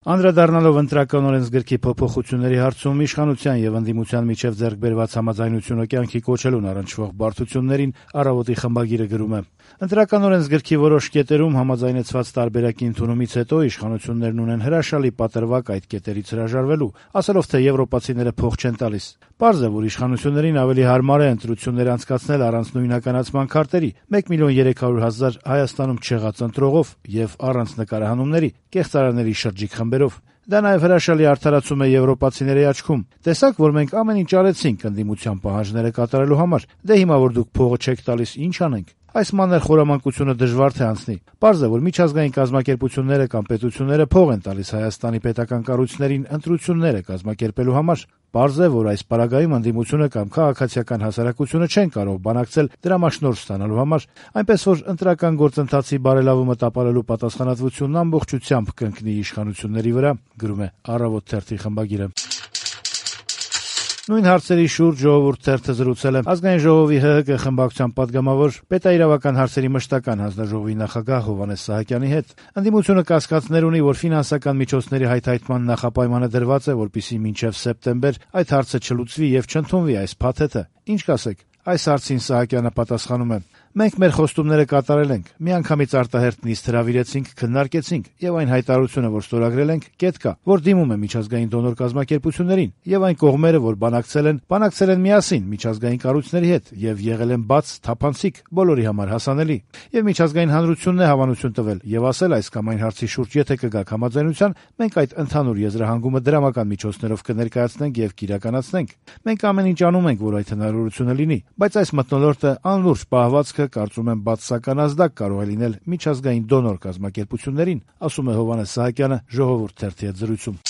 Անդրադառնալով ընտրական օրենսգրքի փոփոխությունների հարցում իշխանության եւ ընդդիմության միջև ձեռք բերված համաձայնությունը կյանքի կոչելուն առնչվող բարդություններին «Առավոտ»-ի խմբագիրը գրում է. Ընտրական օրենսգրքի որոշ կետերում համաձայնեցված տարբերակի ընդունումից հետո իշխանություններն ունեն հրաշալի պատրվակ այդ կետերից հրաժարվելու, ասելով, թե եվրոպացիները փող չեն տալիս։ Պարզ է, որ իշխանություններին ավելի հարմար է ընտրություններ անցկացնել առանց նույնականացման քարտերի, 1,300,000 Հայաստանում չեղած ընտրողով եւ առանց նկարահանումների, կեղծարանների շրջիկ խմբերով։ Դա նաև հրաշալի արդարացում է եվրոպացիների աչքում։ Տեսաք, որ մենք ամեն ինչ արեցինք ընդդիմության պահանջները կատարելու համար։ Դե հիմա որ դուք փողը չեք տալիս, ինչ անենք։ Այս մանր խորամանկությունը դժվար թե անցնի։ Պարզ է, որ միջազգային կազմակերպությունները կամ պետությունները փող են տալիս Հայաստանի պետական կառույցներին ընտրությունները կազմակերպելու համար։ Պարզ է, որ այս պարագայում ընդդիմությունը կամ քաղաքացիական հասարակությունը չեն կարող բանակցել դրամաշնորհ ստանալու համար, այնպես որ ընտրական գործընթացի բարելավումը տապալելու պատասխանատվությունն ամբողջությամբ կընկնի իշխանությունների վրա, գրում է «Առավոտ» թերթի խմբագիրը։ Նույն հարցերի շուրջ «Ժողովուրդ» թերթը զրուցել է Ազգային ժողովի ՀՀԿ խմբակցության պատգամավոր, պետաիրավական հարցերի մշտական հանձնաժողովի նախագահ Հովհաննես Սահակյանի հետ։ Ընդդիմությունը կասկածներ ունի, որ ֆինանսական միջոցների հայթայթման նախապայմանը դրված է, որպեսզի մինչև սեպտեմբեր այդ հարցը չլուծվի եւ չընդունվի այս փաթեթը։ Ինչ կասեք։ Այս հարցին Սահակյանը պատասխանում է. Մենք մեր խոստումները կատարել ենք, միանգամից արտահերթ նիստ հրավիրեցինք, քննարկեցինք եւ այն հայտարարությունը, որ ստորագրել ենք, կետ կա, որ դիմում է միջազգային դոնոր կազմակերպություններին եւ այն կողմերը, որ բանակցել են միասին միջազգային կառույցների հետ եւ եղել են բաց, թափանցիկ, բոլորի համար հասանելի։ Եվ միջազգային հանրությունն է հավանություն տվել եւ ասել այս կամ այն հարցի շուրջ եթե կգաք համաձայնության, մենք այդ ընդհանուր եզրահանգումը դրամական միջոցներով կներկայացնենք եւ կիրականացնենք։ Մենք ամեն ինչ անում ենք, որ այդ հնարավորությունը լինի, բայց այս մթնոլորտը անլուրջ պահվածքը կարծում եմ բացասական ազդակ կարող է լինել միջազգային դոնոր կազմակերպություններին, ասում է Հովհաննես Սահակյանը «Ժողովուրդ» թերթի հետ զրույցում։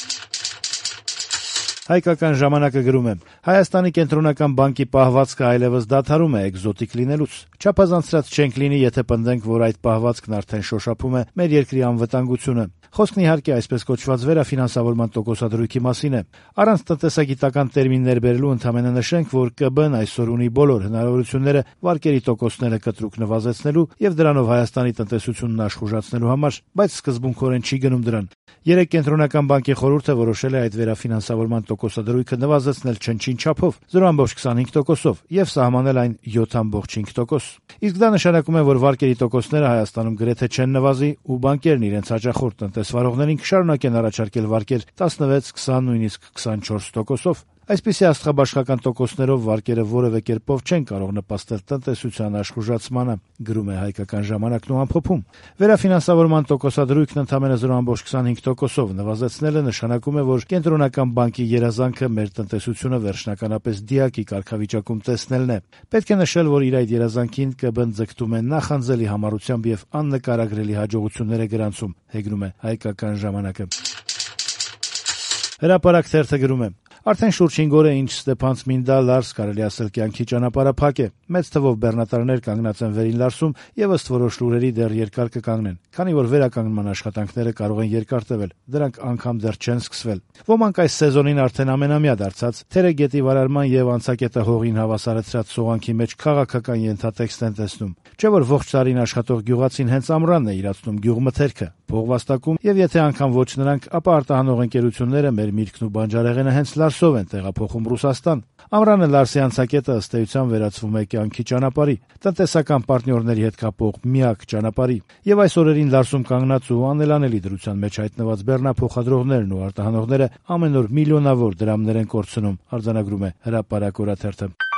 Հայկական ժամանակը գրում է. Հայաստանի կենտրոնական բանկի պահվածքը այլևս դադարում է էկզոտիկ լինելուց։ Չափազանցրած չենք լինի, եթե պնդենք, որ այդ պահվածքն արդեն շոշափում է մեր երկրի անվտանգությունը։ Խոսքն իհարկե այսպես կոչված վերաֆինանսավորման տոկոսադրույքի մասին է։ Առանց տնտեսագիտական տերմիններ բերելու ընդհանրապես նշենք, որ ԿԲ-ն այսօր ունի բոլոր հնարավորությունները վարկերի տոկոսները կտրուկ նվազեցնելու եւ դրանով Հայաստանի տնտեսությունն աշխուժացնելու համար, բայց սկզբունքորեն չի գնում դրան։ Երեք կենտրոնական բանկի խորհուրդը որոշել է այդ վերաֆինանսավորման տոկոսադրույքը նվազեցնել չնչին չափով 0.25%-ով եւ սահմանել այն 7.5%։ Իսկ դա նշանակում է, որ վարկերի տոկոսները Հայաստանում գրեթե չեն նվազի ու բանկերն իրենց հաճախորդ տնտեսվարողներին կշարունակեն առաջարկել վարկեր 16, 20, նույնիսկ 24%-ով։ Այսպիսի աստղաբաշխական տոկոսներով վարկերը որևէ կերպով չեն կարող նպաստել տնտեսության աշխուժացմանը, գրում է Հայկական ժամանակն ու ամփոփում։ Վերաֆինանսավորման տոկոսադրույքն ընդամենը 0.25%-ով նվազեցնելը նշանակում է, որ կենտրոնական բանկի երազանքը մեր տնտեսությունը վերջնականապես դիակի կարգավիճակում տեսնելն է։ Պետք է նշել, որ իր այդ երազանքին ԿԲ-ն ձգտում է նախանձելի համառությամբ եւ աննկարագրելի հաջողություններ է գրանցում, հեգնում է Հայկական ժամանակը։ Հրապարակ թերթը գրում է. Արդեն շուրջ 5 օր է, ինչ Ստեփան-Ցմինդա Լարս կարելի ասել կյանքի ճանապարհը փակ է։ Մեծ թվով բեռնատարներ կանգնած են վերին Լարսում եւ ըստ որոշ լուրերի դեռ երկար կկանգնեն, քանի որ վերականգնման աշխատանքները կարող են երկար տևել, դրանք անգամ դեռ չեն սկսվել։ Ոմանք այս սեզոնին արդեն ամենամյա դարձած Թերը գետի վարարման եւ անցակետը հողին հավասարեցրած սողանքի մեջ քաղաքական ենթատեքստ են տեսնում։ Չէ՞ որ ողջ տարին աշխատող գյուղացին հենց ամռանն է իրացնում գյուղմթերքը, փողվաստակում եւ եթե անգամ ոչ նրանք, ապա արտահանող ընկերությունները մեր միրգն ու բանջարեղենը հենց Լարսով են տեղափոխում Ռուսաստան։ Ամռանը Լարսի անցակետը ըստ էության վերածվում է կյանքի ճանապարհի, տնտեսական պարտներների հետ կապող միակ ճանապարհի։ Եվ այս օրերին Լարսում կանգնած ու անելանելի դրության մեջ հայտնված բեռնափոխադրողներն ու արտահանողները ամեն օր միլիոնավոր դրամներ են կորցնում, արձանագրում է Հրապարակ օրաթերթը։